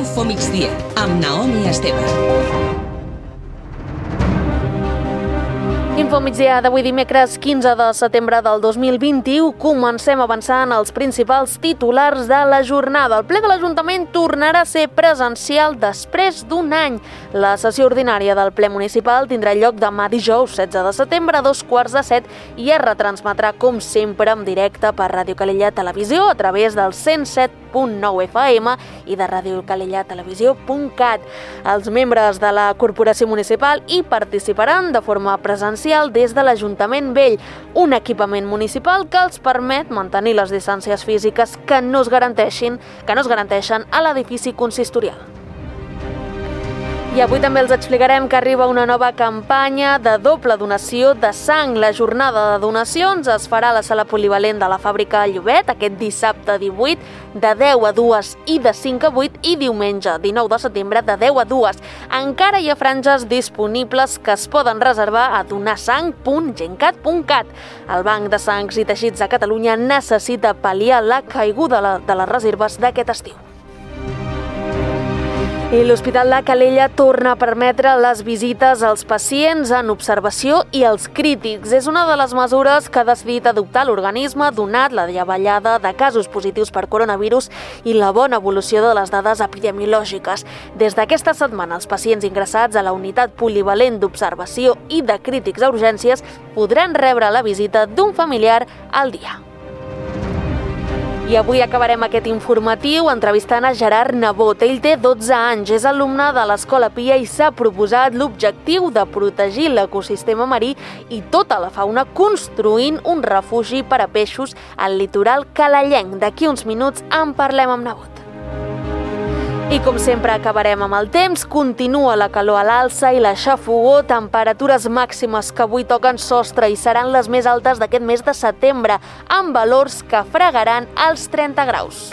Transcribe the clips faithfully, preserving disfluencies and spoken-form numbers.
Infomigdia, amb Naomi Esteve. Infomigdia d'avui dimecres quinze de setembre del dos mil vint-i-u. Comencem avançant els principals titulars de la jornada. El ple de l'Ajuntament tornarà a ser presencial després d'un any. La sessió ordinària del ple municipal tindrà lloc demà dijous setze de setembre a dos quarts de set i es retransmetrà com sempre en directe per Ràdio Calella Televisió a través del cent set punt nou F M i de ràdio calella televisió punt cat. Els membres de la Corporació Municipal hi participaran de forma presencial des de l'Ajuntament Vell, un equipament municipal que els permet mantenir les distàncies físiques que no es garanteixin, que no es garanteixen a l'edifici consistorial. I avui també els explicarem que arriba una nova campanya de doble donació de sang. La jornada de donacions es farà a la sala polivalent de la fàbrica Llobet aquest dissabte divuit de deu a dues i de cinc a vuit i diumenge dinou de setembre de deu a dues. Encara hi ha franges disponibles que es poden reservar a donarsang punt gencat punt cat. El Banc de Sangs i Teixits de Catalunya necessita pal·liar la caiguda de les reserves d'aquest estiu. I l'Hospital de Calella torna a permetre les visites als pacients en observació i als crítics. És una de les mesures que ha decidit adoptar l'organisme donat la davallada de casos positius per coronavirus i la bona evolució de les dades epidemiològiques. Des d'aquesta setmana, els pacients ingressats a la unitat polivalent d'observació i de crítics a urgències podran rebre la visita d'un familiar al dia. I avui acabarem aquest informatiu entrevistant a Gerard Nebot. Ell té dotze anys, és alumne de l'Escola Pia i s'ha proposat l'objectiu de protegir l'ecosistema marí i tota la fauna construint un refugi per a peixos al litoral calellenc. D'aquí uns minuts en parlem amb Nebot. I com sempre acabarem amb el temps, continua la calor a l'alça i la xafogor, temperatures màximes que avui toquen sostre i seran les més altes d'aquest mes de setembre, amb valors que fregaran els trenta graus.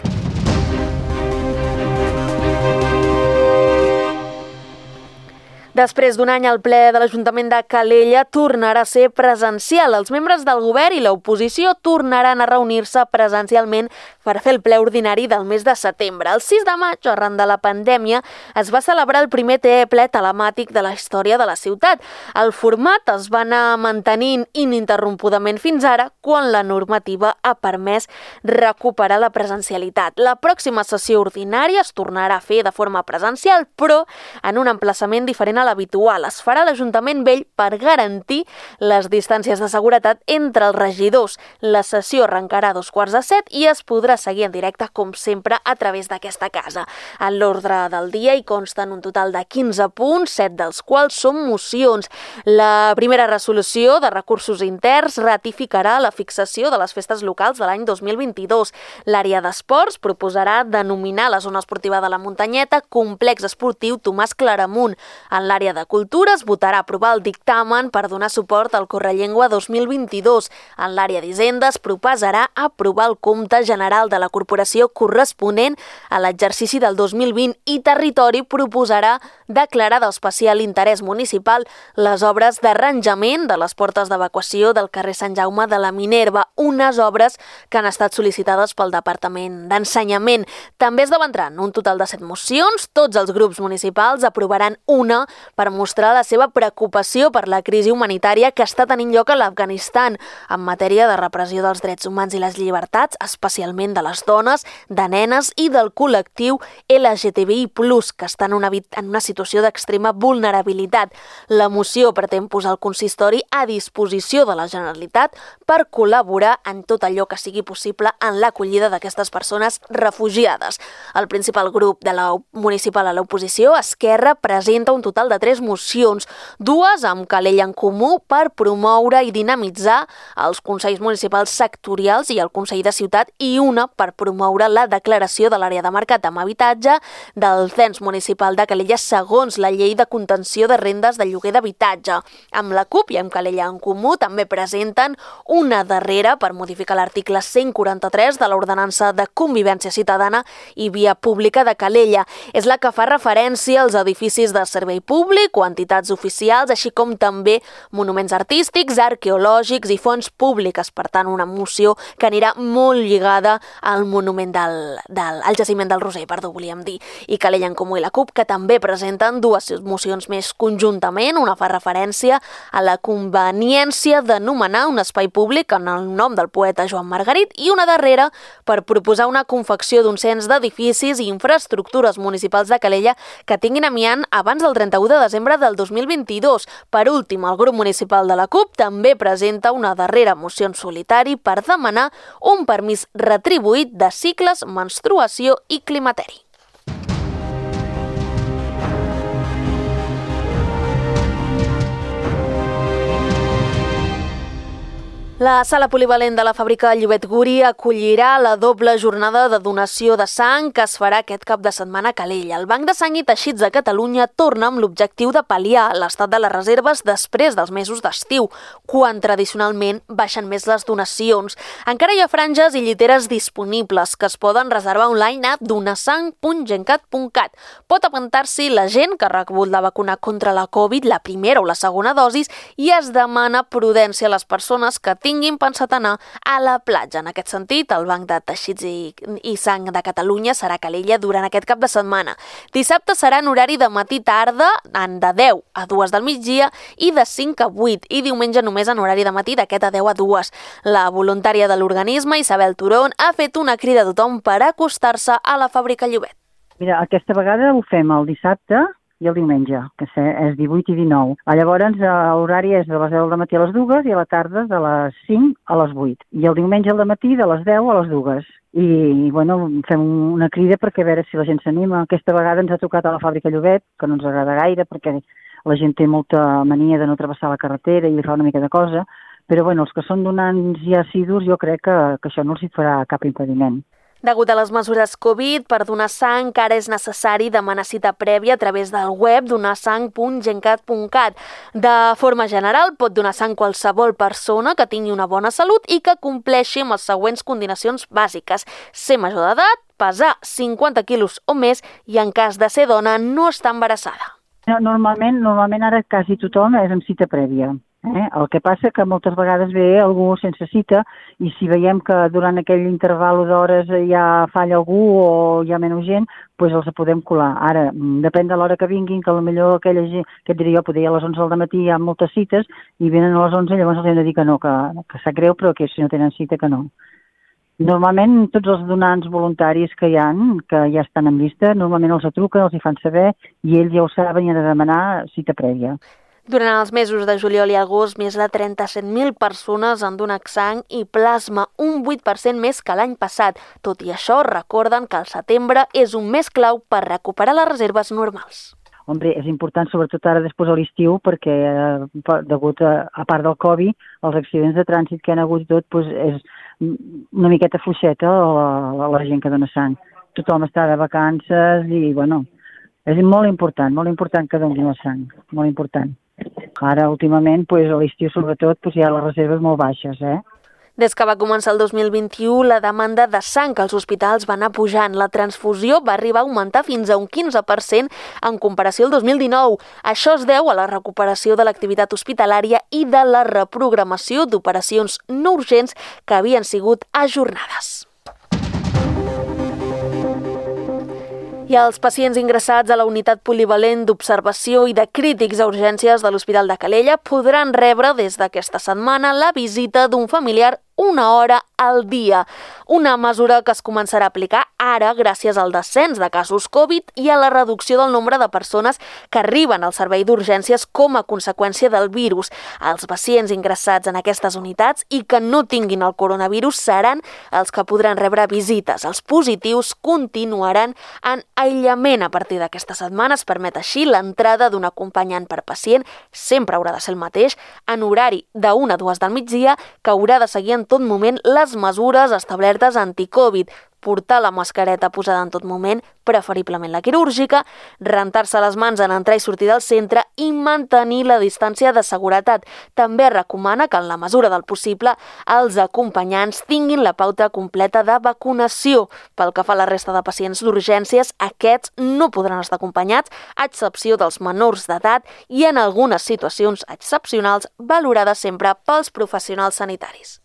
Després d'un any, el ple de l'Ajuntament de Calella tornarà a ser presencial. Els membres del govern i l'oposició tornaran a reunir-se presencialment per fer el ple ordinari del mes de setembre. El sis de maig, arran de la pandèmia, es va celebrar el primer ple telemàtic de la història de la ciutat. El format es va anar mantenint ininterrompudament fins ara, quan la normativa ha permès recuperar la presencialitat. La pròxima sessió ordinària es tornarà a fer de forma presencial, però en un emplaçament diferent a l'habitual. Es farà a l'Ajuntament Vell per garantir les distàncies de seguretat entre els regidors. La sessió arrencarà a dos quarts de set i es podrà seguir en directe, com sempre, a través d'aquesta casa. En l'ordre del dia hi consten un total de quinze punts, set dels quals són mocions. La primera resolució de recursos interns ratificarà la fixació de les festes locals de l'any dos mil vint-i-dos. L'àrea d'esports proposarà denominar la zona esportiva de la Muntanyeta Complex Esportiu Tomàs Claramunt. En l'àrea de cultura es votarà aprovar el dictamen per donar suport al Correllengua dos mil vint-i-dos. En l'àrea d'Hisenda es proposarà aprovar el compte general de la corporació corresponent a l'exercici del dos mil vint i Territori proposarà declarar d'especial interès municipal les obres d'arranjament de les portes d'evacuació del carrer Sant Jaume de la Minerva, unes obres que han estat sol·licitades pel Departament d'Ensenyament. També es debatran un total de set mocions. Tots els grups municipals aprovaran una per mostrar la seva preocupació per la crisi humanitària que està tenint lloc a l'Afganistan en matèria de repressió dels drets humans i les llibertats, especialment de les dones, de nenes i del col·lectiu L G T B I plus, que estan en una, en una situació d'extrema vulnerabilitat. La moció pretén posar el consistori a disposició de la Generalitat per col·laborar en tot allò que sigui possible en l'acollida d'aquestes persones refugiades. El principal grup de la municipal a l'oposició, Esquerra, presenta un total de tres mocions, dues amb Calella en Comú per promoure i dinamitzar els consells municipals sectorials i el Consell de Ciutat i una per promoure la declaració de l'àrea de mercat amb habitatge del cens municipal de Calella segons la llei de contenció de rendes de lloguer d'habitatge. Amb la CUP i amb Calella en Comú també presenten una darrera per modificar l'article cent quaranta-tres de l'Ordenança de Convivència Ciutadana i Via Pública de Calella. És la que fa referència als edificis de servei públic públic o entitats oficials, així com també monuments artístics, arqueològics i fonts públiques. Per tant, una moció que anirà molt lligada al monument del, del al jaciment del Roser, perdó, volíem dir, i Calella en Comú i la CUP, que també presenten dues mocions més conjuntament. Una fa referència a la conveniència d'anomenar un espai públic en el nom del poeta Joan Margarit i una darrera per proposar una confecció d'un cens d'edificis i infraestructures municipals de Calella que tinguin amiant abans del trenta-u de desembre del dos mil vint-i-dos. Per últim, el grup municipal de la CUP també presenta una darrera moció en solitari per demanar un permís retribuït de cicles, menstruació i climateri. La sala polivalent de la fàbrica Llobet Guri acollirà la doble jornada de donació de sang que es farà aquest cap de setmana a Calella. El Banc de Sang i Teixits de Catalunya torna amb l'objectiu de pal·liar l'estat de les reserves després dels mesos d'estiu, quan tradicionalment baixen més les donacions. Encara hi ha franges i lliteres disponibles que es poden reservar online a donasang punt gencat punt cat. Pot apuntar-s'hi la gent que ha rebut la vacuna contra la Covid, la primera o la segona dosis, i es demana prudència a les persones que tinguin pensat anar a la platja. En aquest sentit, el Banc de Teixits i, i Sang de Catalunya serà a Calella durant aquest cap de setmana. Dissabte serà en horari de matí-tarda, de deu a dues del migdia i de cinc a vuit, i diumenge només en horari de matí d'aquest a deu a dues. La voluntària de l'organisme, Isabel Turón, ha fet una crida a tothom per acostar-se a la fàbrica Llobet. Mira, aquesta vegada ho fem el dissabte i el diumenge, que és divuit i dinou. Llavors, l'horari és de les deu del matí a les dues i a la tarda de les cinc a les vuit. I el diumenge al matí de les deu a les dues. I, bueno, fem una crida perquè a veure si la gent s'anima. Aquesta vegada ens ha tocat a la fàbrica Llobet, que no ens agrada gaire perquè la gent té molta mania de no travessar la carretera i li fa una mica de cosa, però, bueno, els que són donants ja assidus, jo crec que, que això no els hi farà cap impediment. Degut a les mesures Covid, per donar sang encara és necessari demanar cita prèvia a través del web donasang punt gencat punt cat. De forma general, pot donar sang qualsevol persona que tingui una bona salut i que compleixi amb les següents condicions bàsiques: ser major d'edat, pesar cinquanta quilos o més i, en cas de ser dona, no estar embarassada. Normalment, normalment ara quasi tothom és amb cita prèvia. Eh? El que passa que moltes vegades ve algú sense cita i si veiem que durant aquell interval d'hores ja falla algú o hi ha menys gent, doncs els podem colar. Ara, depèn de l'hora que vinguin, que potser aquella gent, que et diria jo, potser a les onze del matí hi ha moltes cites i venen a les onze, llavors els hem de dir que no, que, que sap greu, però que si no tenen cita que no. Normalment tots els donants voluntaris que hi ha, que ja estan en llista, normalment els truquen, els hi fan saber i ells ja ho saben i han de demanar cita prèvia. Durant els mesos de juliol i agost, més de trenta-set mil persones han donat sang i plasma, un vuit per cent més que l'any passat. Tot i això, recorden que el setembre és un mes clau per recuperar les reserves normals. Hombre, és important, sobretot ara després de l'estiu, perquè eh, degut a, a part del Covid, els accidents de trànsit que han hagut tot, doncs és una miqueta fluixeta la, la, la gent que dona sang. Tothom està de vacances i, bueno, és molt important, molt important que donin la sang, molt important. Ara, últimament, pues, a l'estiu, sobretot, pues, hi ha les reserves molt baixes, eh? Des que va començar el dos mil vint-i-u, la demanda de sang als hospitals va anar pujant. La transfusió va arribar a augmentar fins a un quinze per cent en comparació al dos mil dinou. Això es deu a la recuperació de l'activitat hospitalària i de la reprogramació d'operacions no urgents que havien sigut ajornades. I els pacients ingressats a la unitat polivalent d'observació i de crítics a urgències de l'Hospital de Calella podran rebre des d'aquesta setmana la visita d'un familiar una hora al dia. Una mesura que es començarà a aplicar ara gràcies al descens de casos Covid i a la reducció del nombre de persones que arriben al servei d'urgències com a conseqüència del virus. Els pacients ingressats en aquestes unitats i que no tinguin el coronavirus seran els que podran rebre visites. Els positius continuaran en aïllament a partir d'aquesta setmana. Es permet així l'entrada d'un acompanyant per pacient, sempre haurà de ser el mateix, en horari de una a dues del migdia, que haurà de seguir en tot moment les les mesures establertes anti-Covid, portar la mascareta posada en tot moment, preferiblement la quirúrgica, rentar-se les mans en entrar i sortir del centre i mantenir la distància de seguretat. També recomana que, en la mesura del possible, els acompanyants tinguin la pauta completa de vacunació. Pel que fa a la resta de pacients d'urgències, aquests no podran estar acompanyats, a excepció dels menors d'edat i en algunes situacions excepcionals valorades sempre pels professionals sanitaris.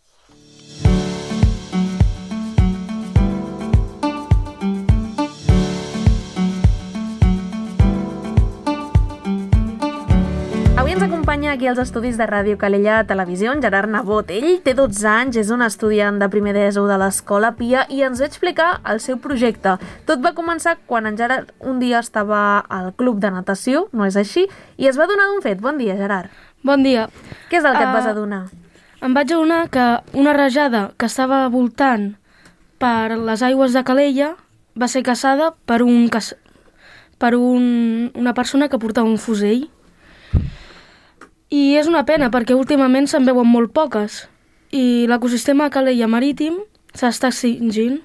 Avui ens acompanya aquí als estudis de Ràdio Calella Televisió en Gerard Nebot. Ell té dotze anys, és un estudiant de primer d'ESO de l'Escola Pia i ens va explicar el seu projecte. Tot va començar quan en Gerard un dia estava al club de natació, no és així, i es va adonar d'un fet. Bon dia, Gerard. Bon dia. Què és el que et Uh, vas adonar? Em vaig adonar que una rajada que estava voltant per les aigües de Calella va ser caçada per, un, caç... per un, una persona que portava un fusell. I és una pena perquè últimament se'n veuen molt poques i l'ecosistema Calella marítim s'està extingint.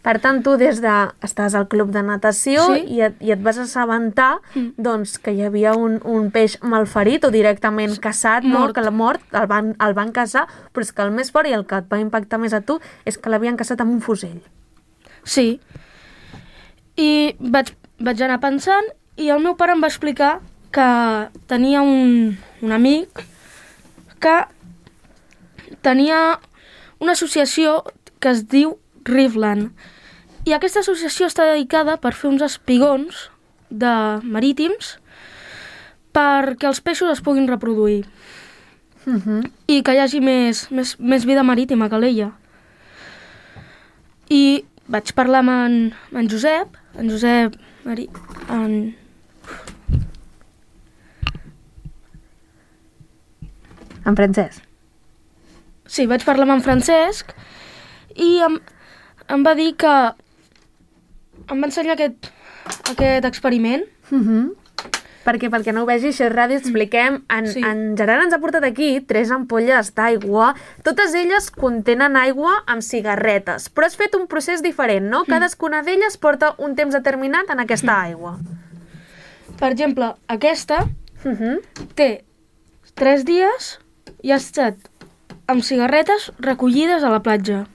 Per tant, tu des de... estàs al club de natació Sí. i, et, i et vas assabentar Mm. doncs, que hi havia un, un peix malferit o directament caçat, no? Mort. Que la mort el van, el van caçar, però és que el més fort i el que et va impactar més a tu és que l'havien caçat amb un fusell. Sí. I vaig, vaig anar pensant i el meu pare em va explicar que tenia un, un amic que tenia una associació que es diu Riffland. I aquesta associació està dedicada per fer uns espigons de marítims perquè els peixos es puguin reproduir Uh -huh. i que hi hagi més, més, més vida marítima a Calella. I vaig parlar amb en, amb en Josep, en Josep, Mari, en... En Francesc. Sí, vaig parlar amb en Francesc i em, em va dir que em va ensenyar aquest, aquest experiment. Uh -huh. Perquè, perquè no ho vegi, això és ràdio, expliquem. En, Sí. en Gerard ens ha portat aquí tres ampolles d'aigua. Totes elles contenen aigua amb cigarretes, però has fet un procés diferent, no? Cadascuna d'elles porta un temps determinat en aquesta aigua. Per exemple, aquesta Uh -huh. té tres dies i ha estat amb cigarretes recollides a la platja.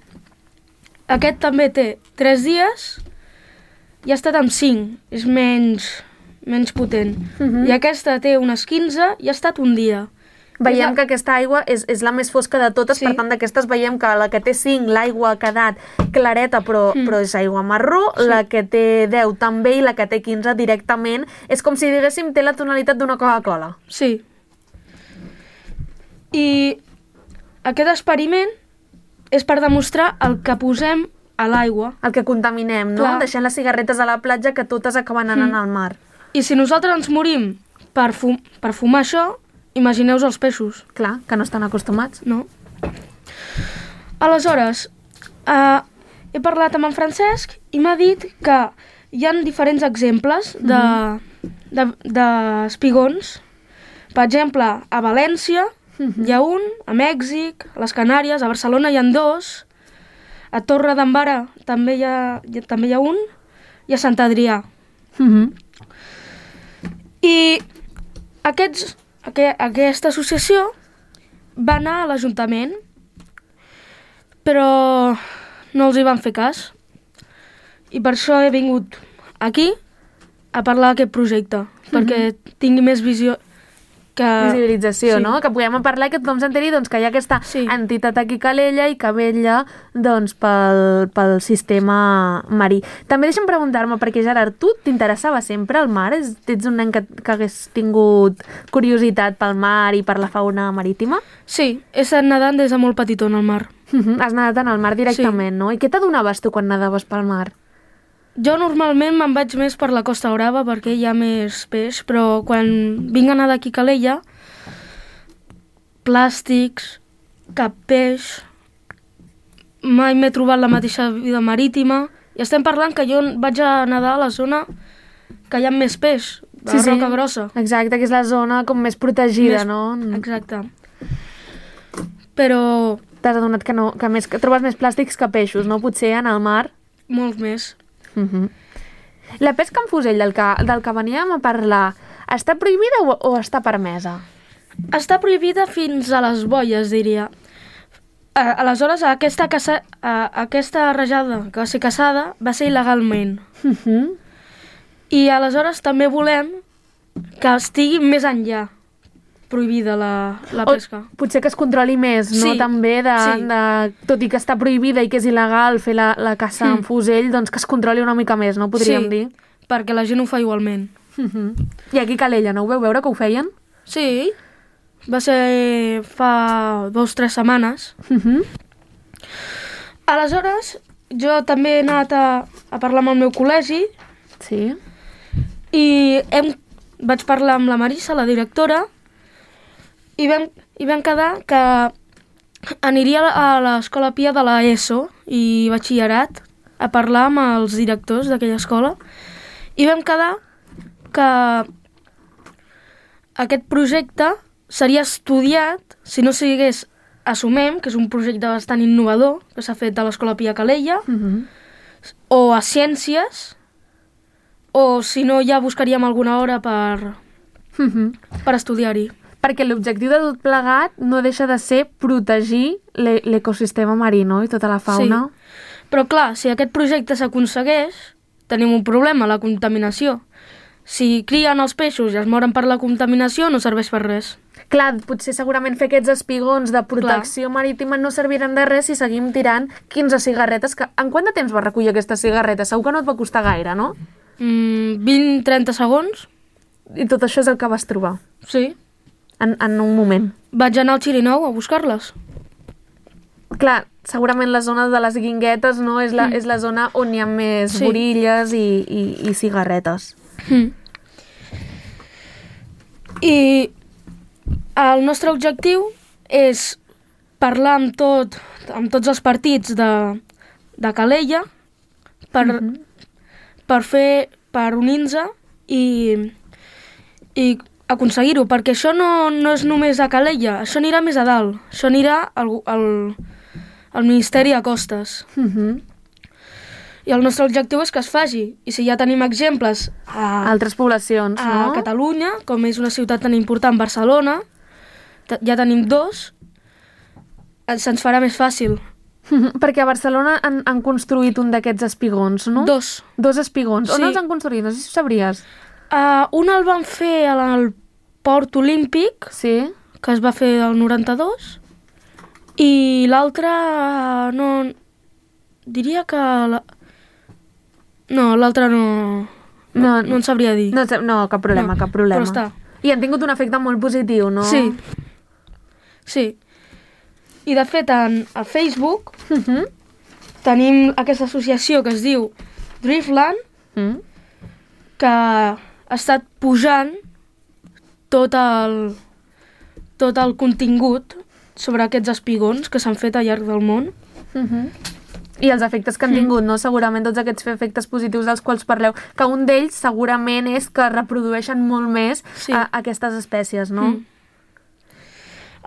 Aquest també té tres dies i ha estat amb cinc, és menys, menys potent. Mhm. I aquesta té unes quinze i ha estat un dia. Veiem És la- que aquesta aigua és, és la més fosca de totes, Sí. per tant, d'aquestes veiem que la que té cinc, l'aigua ha quedat clareta, però, Mm. però és aigua marró, Sí. la que té deu també i la que té quinze directament. És com si diguéssim té la tonalitat d'una Coca-Cola. Sí. I aquest experiment és per demostrar el que posem a l'aigua. El que contaminem, no? Clar. Deixant les cigarretes a la platja que totes acaben anant Mm. al mar. I si nosaltres ens morim per, fum per fumar això, imagineu-vos els peixos, Clar, que no estan acostumats. no? Aleshores, eh, he parlat amb en Francesc i m'ha dit que hi ha diferents exemples de, de, de espigons. Per exemple, a València hi ha un, a Mèxic, a les Canàries, a Barcelona hi ha dos, a Torre d'Embara també hi ha, hi ha, també hi ha un, i a Sant Adrià. Uh -huh. I aquests, aqu aquesta associació va anar a l'Ajuntament, però no els hi van fer cas. I per això he vingut aquí a parlar d'aquest projecte, perquè tingui més visió que... Visibilització, Sí. no? Que puguem parlar, que tothom s'enteri doncs, que hi ha aquesta Sí. entitat aquí a Calella i que vetlla doncs, pel, pel sistema marí. També deixa'm preguntar-me, perquè Gerard, tu t'interessava sempre el mar? És, ets un nen que, que hagués tingut curiositat pel mar i per la fauna marítima? Sí, he estat nedant des de molt petitó en el mar. Has nedat en el mar directament, no? I què t'adonaves tu quan nadaves pel mar? Jo normalment me'n vaig més per la Costa Brava perquè hi ha més peix, però quan vinc a nedar aquí a Calella, plàstics, cap peix, mai m'he trobat la mateixa vida marítima. I estem parlant que jo vaig a nedar a la zona que hi ha més peix, de la Roca Grossa. Exacte, que és la zona com més protegida, Més- no? Exacte. Però t'has adonat que, no, que, més, que trobes més plàstics que peixos, no? Potser en el mar. Molts més. Uh-huh. La pesca amb fusell del que, del que veníem a parlar, està prohibida o, o està permesa? Està prohibida fins a les boies, diria. A, aleshores, aquesta, caça, a, aquesta rajada que va ser caçada va ser il·legalment. Uh-huh. I aleshores també volem que estigui més enllà prohibida la, la pesca. O potser que es controli més, no? Sí, També, de, sí. de, tot i que està prohibida i que és il·legal fer la, la caça mm. amb fusell, doncs que es controli una mica més, no? Podríem sí, dir. perquè la gent ho fa igualment. Uh-huh. I aquí a Calella, no ho veu veure que ho feien? Sí, va ser fa dos o tres setmanes. Uh-huh. Aleshores, jo també he anat a, a parlar amb el meu col·legi. Sí. I hem, vaig parlar amb la Marissa, la directora, i vam, i vam quedar que aniria a l'escola Pia de la ESO i batxillerat a parlar amb els directors d'aquella escola, i vam quedar que aquest projecte seria estudiat, si no sigués Assumem, que és un projecte bastant innovador que s'ha fet a l'Escola Pia Calella, Uh-huh. o a Ciències, o si no ja buscaríem alguna hora per, Uh-huh. per estudiar-hi. Perquè l'objectiu de tot plegat no deixa de ser protegir l'e- l'ecosistema marí, no? I tota la fauna. Sí. Però clar, si aquest projecte s'aconsegueix, tenim un problema, la contaminació. Si crien els peixos i es moren per la contaminació, no serveix per res. Clar, potser segurament fer aquests espigons de protecció Clar. marítima no serviran de res si seguim tirant quinze cigarretes. Que... En quant de temps va recollir aquestes cigarretes? Segur que no et va costar gaire, no? Mm, vint a trenta segons. I tot això és el que vas trobar, Sí. en, en un moment. Vaig anar al Xirinou a buscar-les. Clar, segurament la zona de les guinguetes, no? És la, Mm. és la zona on hi ha més Sí. borilles i, i, i cigarretes. Mm. I el nostre objectiu és parlar amb, tot, amb tots els partits de, de Calella per, Mhm. per fer, per unir-nos i, i aconseguir-ho, perquè això no, no és només a Calella, això anirà més a dalt, això anirà al, al, al Ministeri de Costes. Mhm. I el nostre objectiu és que es faci, i si ja tenim exemples a, Altres poblacions, a no? Catalunya, com és una ciutat tan important, Barcelona, te- ja tenim dos, eh, se'ns farà més fàcil. Mhm. Perquè a Barcelona han, han construït un d'aquests espigons, no? Dos. Dos espigons. On Sí. els han construït? No sé si ho sabries. Uh, un el van fer al Port Olímpic, Sí? que es va fer el noranta-dos, i l'altre, uh, no... Diria que... La... No, l'altre no... No, No en sabria dir. No, no, cap problema, No, cap problema. però està. I han tingut un efecte molt positiu, no? Sí. Sí. I de fet, en, a Facebook Mhm. tenim aquesta associació que es diu Driftland, Mm. que ha estat pujant tot el, tot el contingut sobre aquests espigons que s'han fet al llarg del món. Mhm. I els efectes que han tingut, no? Segurament tots aquests efectes positius dels quals parleu, que un d'ells segurament és que reprodueixen molt més Sí. a, aquestes espècies, no? Mm.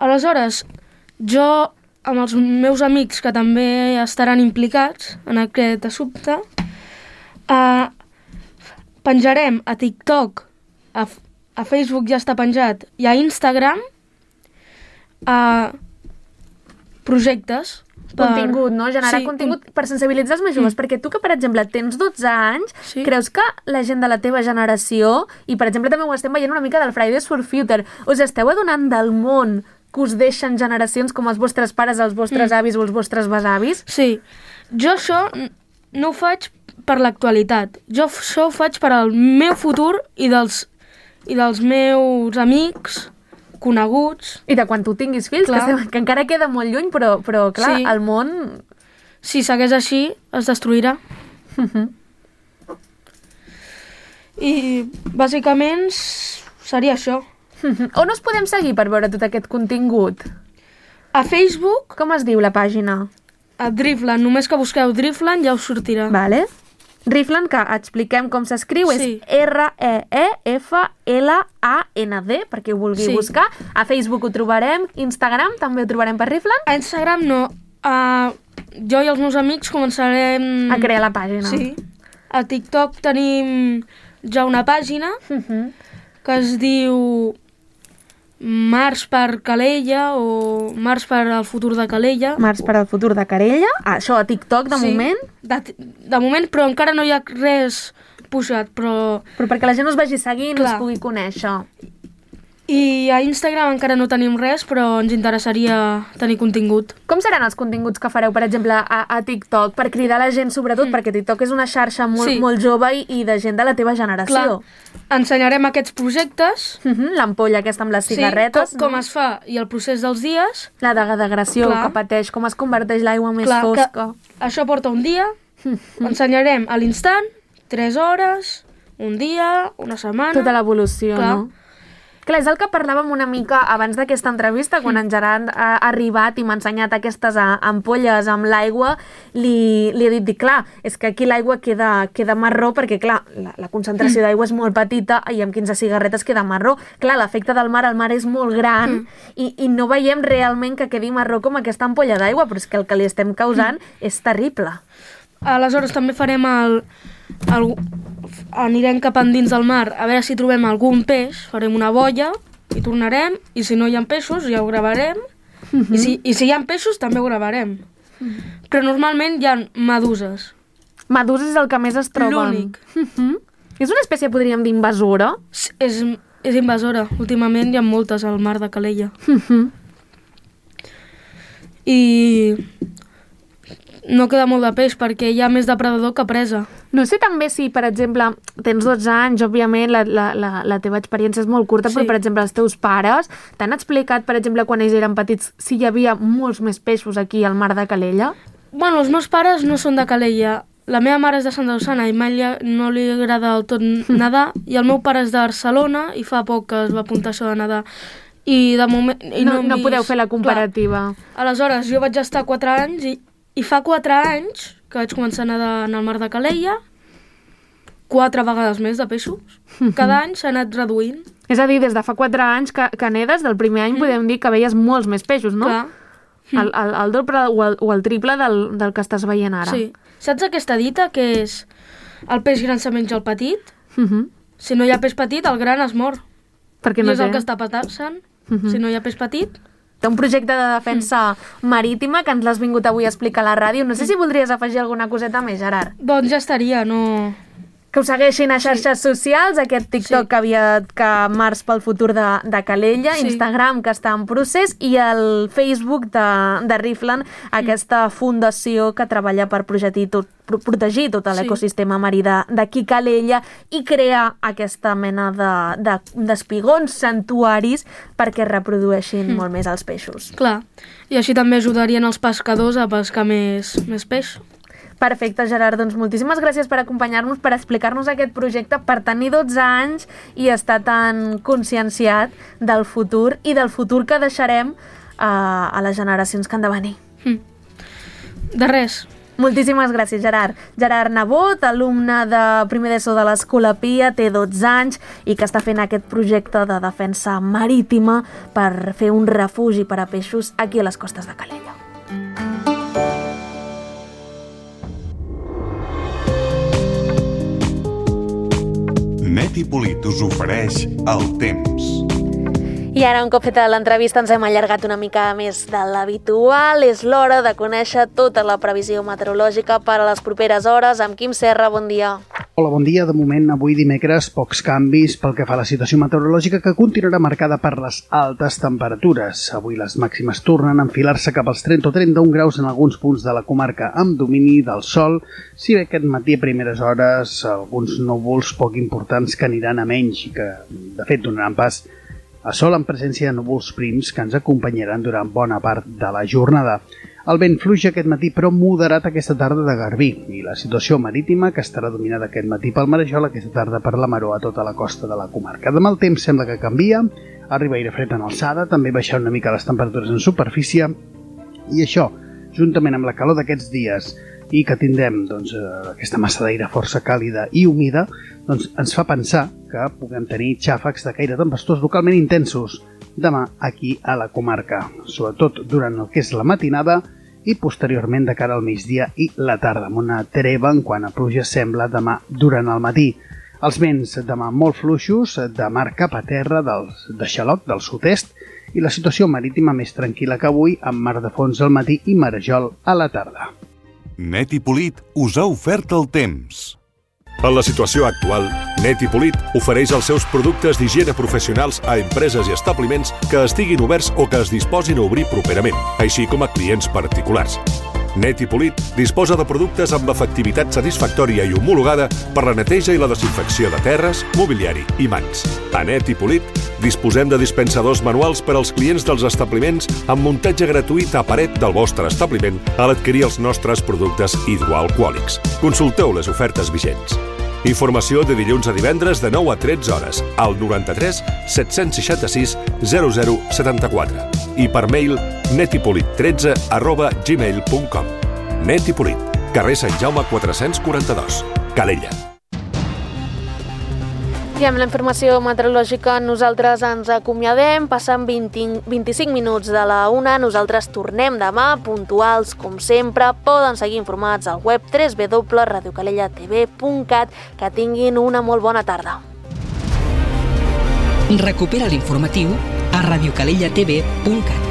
Aleshores, jo, amb els meus amics que també estaran implicats en aquest assumpte, eh, penjarem a TikTok, a, F- a Facebook ja està penjat, i a Instagram a projectes. per- Contingut, no? Generar Sí, contingut per sensibilitzar els més joves, perquè tu que, per exemple, tens dotze anys, Sí. creus que la gent de la teva generació, i per exemple també ho estem veient una mica del Fridays for Future, us esteu adonant del món que us deixen generacions com els vostres pares, els vostres Mm. avis o els vostres besavis? Sí, jo això n- no ho faig per l'actualitat. Jo f- això ho faig per al meu futur i dels, i dels meus amics, coneguts. I de quan tu tinguis fills, que, Clar. estem, que encara queda molt lluny, però, però clar, Sí. el món... Si segueix així, es destruirà. Mhm. I bàsicament s- seria això. On us podem seguir per veure tot aquest contingut? A Facebook, Com es diu la pàgina? a Driftland, només que busqueu Driftland ja us sortirà. Vale. Riflan, que expliquem com s'escriu, Sí. és R E E F L A N D, per qui ho vulgui Sí. buscar. A Facebook ho trobarem, Instagram també ho trobarem per Riflan. A Instagram no. Uh, jo i els meus amics començarem... A crear la pàgina. Sí. A TikTok tenim ja una pàgina Uh-huh. que es diu Mars per Calella o Mars per al futur de Calella. Mars per al futur de Carella. Ah, això a TikTok, de Sí, moment. De, de moment, però encara no hi ha res pujat, però... Però perquè la gent us vagi seguint, Clar. us pugui conèixer. I a Instagram encara no tenim res, però ens interessaria tenir contingut. Com seran els continguts que fareu, per exemple, a, a TikTok, per cridar la gent, sobretot, mm. perquè TikTok és una xarxa molt, Sí. molt jove i, i de gent de la teva generació. Clar, ensenyarem aquests projectes, Uh -huh. L'ampolla aquesta amb les cigarretes, sí, com, com es fa i el procés dels dies. la degradació Clar. que pateix, com es converteix l'aigua més Clar, fosca. que això porta un dia, ensenyarem a l'instant, tres hores, un dia, una setmana... Tota l'evolució, Clar. no? Clar, és el que parlàvem una mica abans d'aquesta entrevista, quan en Gerard ha arribat i m'ha ensenyat aquestes a- ampolles amb l'aigua, li, li he dit, dic, clar, és que aquí l'aigua queda, queda marró perquè, clar, la, la concentració d'aigua és molt petita i amb quinze cigarretes queda marró. Clar, l'efecte del mar, el mar és molt gran Mm. i, i no veiem realment que quedi marró com aquesta ampolla d'aigua, però és que el que li estem causant és terrible. Aleshores també farem el, el... anirem cap endins del mar a veure si trobem algun peix, farem una boia i tornarem, i si no hi ha peixos ja ho gravarem, I, si, i si hi ha peixos també ho gravarem. Però normalment hi ha meduses. Meduses és el que més es troben. L'únic. Mhm. És una espècie, podríem dir, invasora. És, és, és invasora. Últimament hi ha moltes al mar de Calella. Mhm. I no queda molt de peix perquè hi ha més depredador que presa. No sé també si, per exemple, tens dotze anys, òbviament la, la, la, la teva experiència és molt curta, Sí. però, per exemple, els teus pares t'han explicat, per exemple, quan ells eren petits, si hi havia molts més peixos aquí al mar de Calella? Bueno, els meus pares no són de Calella. La meva mare és de Santa Susana i mai li- no li agrada del tot nedar, i el meu pare és de Barcelona i fa poc que es va apuntar això de nedar. I de moment... I No, hem no vist- podeu fer la comparativa. Clar. Aleshores, jo vaig estar quatre anys i, i fa quatre anys que vaig començar a nedar en el mar de Calella, quatre vegades més de peixos. Cada any s'ha anat reduint. És a dir, des de fa quatre anys que, que nedes, del primer any podem dir que veies molts més peixos, no? Clar. El, el, el doble o el, o el triple del, del que estàs veient ara. Sí. Saps aquesta dita que és el peix gran se menja el petit? Mhm. Si no hi ha peix petit, el gran es mor. Perquè I no és el té. que està passant. Mhm. Si no hi ha peix petit... Té un projecte de defensa marítima que ens l'has vingut avui a explicar a la ràdio. No sé si voldries afegir alguna coseta més, Gerard. Doncs ja estaria, no... Que us segueixin a xarxes socials, aquest TikTok Sí. que havia que Mars pel futur de, de Calella, Sí. Instagram que està en procés i el Facebook de, de Riflan, aquesta fundació que treballa per protegir tot, pro- protegir tot Sí. l'ecosistema marí de- d'aquí Calella i crear aquesta mena de, de, d'espigons, santuaris, perquè es reprodueixin molt més els peixos. Clar. I així també ajudarien els pescadors a pescar més, més peix. Perfecte, Gerard. Doncs moltíssimes gràcies per acompanyar-nos, per explicar-nos aquest projecte, per tenir dotze anys i estar tan conscienciat del futur i del futur que deixarem a, a les generacions que han de venir. Hm. De res. Moltíssimes gràcies, Gerard. Gerard Nebot, alumne de primer d'ESO de l'Escola Pia, té dotze anys i que està fent aquest projecte de defensa marítima per fer un refugi per a peixos aquí a les costes de Calella. Neti Polit us ofereix el temps. I ara, un cop feta l'entrevista, ens hem allargat una mica més de l'habitual. És l'hora de conèixer tota la previsió meteorològica per a les properes hores. Amb Quim Serra, bon dia. Hola, bon dia. De moment, avui dimecres, pocs canvis pel que fa a la situació meteorològica, que continuarà marcada per les altes temperatures. Avui les màximes tornen a enfilar-se cap als trenta o trenta-un graus en alguns punts de la comarca, amb domini del sol, si bé aquest matí a primeres hores alguns núvols poc importants que aniran a menys i que, de fet, donaran pas a sol en presència de núvols prims que ens acompanyaran durant bona part de la jornada. El vent fluix aquest matí, però moderat aquesta tarda de Garbí, i la situació marítima, que estarà dominada aquest matí pel Marejol, aquesta tarda per la Maró a tota la costa de la comarca. Demà el temps sembla que canvia, arriba aire fred en alçada, també baixar una mica les temperatures en superfície, i això, juntament amb la calor d'aquests dies, i que tindrem doncs, aquesta massa d'aire força càlida i humida, doncs ens fa pensar que puguem tenir xàfecs de caire tempestós localment intensos demà aquí a la comarca, sobretot durant el que és la matinada i posteriorment de cara al migdia i la tarda, amb una treva en quant a pluja sembla demà durant el matí. Els vents demà molt fluixos, de mar cap a terra, del, de xaloc del sud-est, i la situació marítima més tranquil·la que avui, amb mar de fons al matí i marejol a la tarda. Net i Polit us ha ofert el temps. En la situació actual, Net i Polit ofereix els seus productes d'higiene professionals a empreses i establiments que estiguin oberts o que es disposin a obrir properament, així com a clients particulars. Net i Polit disposa de productes amb efectivitat satisfactòria i homologada per la neteja i la desinfecció de terres, mobiliari i mans. A Net i Polit disposem de dispensadors manuals per als clients dels establiments amb muntatge gratuït a paret del vostre establiment a l'adquirir els nostres productes hidroalcohòlics. Consulteu les ofertes vigents. Informació de dilluns a divendres de nou a tretze hores al noranta-tres set-cents seixanta-sis zero zero setanta-quatre i per mail netipolit tretze arroba gmail punt com. Net i Polit, carrer Sant Jaume quatre-cents quaranta-dos, Calella. I amb la informació meteorològica nosaltres ens acomiadem, passen vint, vint-i-cinc minuts de la una, nosaltres tornem demà, puntuals com sempre, poden seguir informats al web w w w punt radio calella t v punt cat, que tinguin una molt bona tarda. Recupera l'informatiu a radio calella t v punt cat.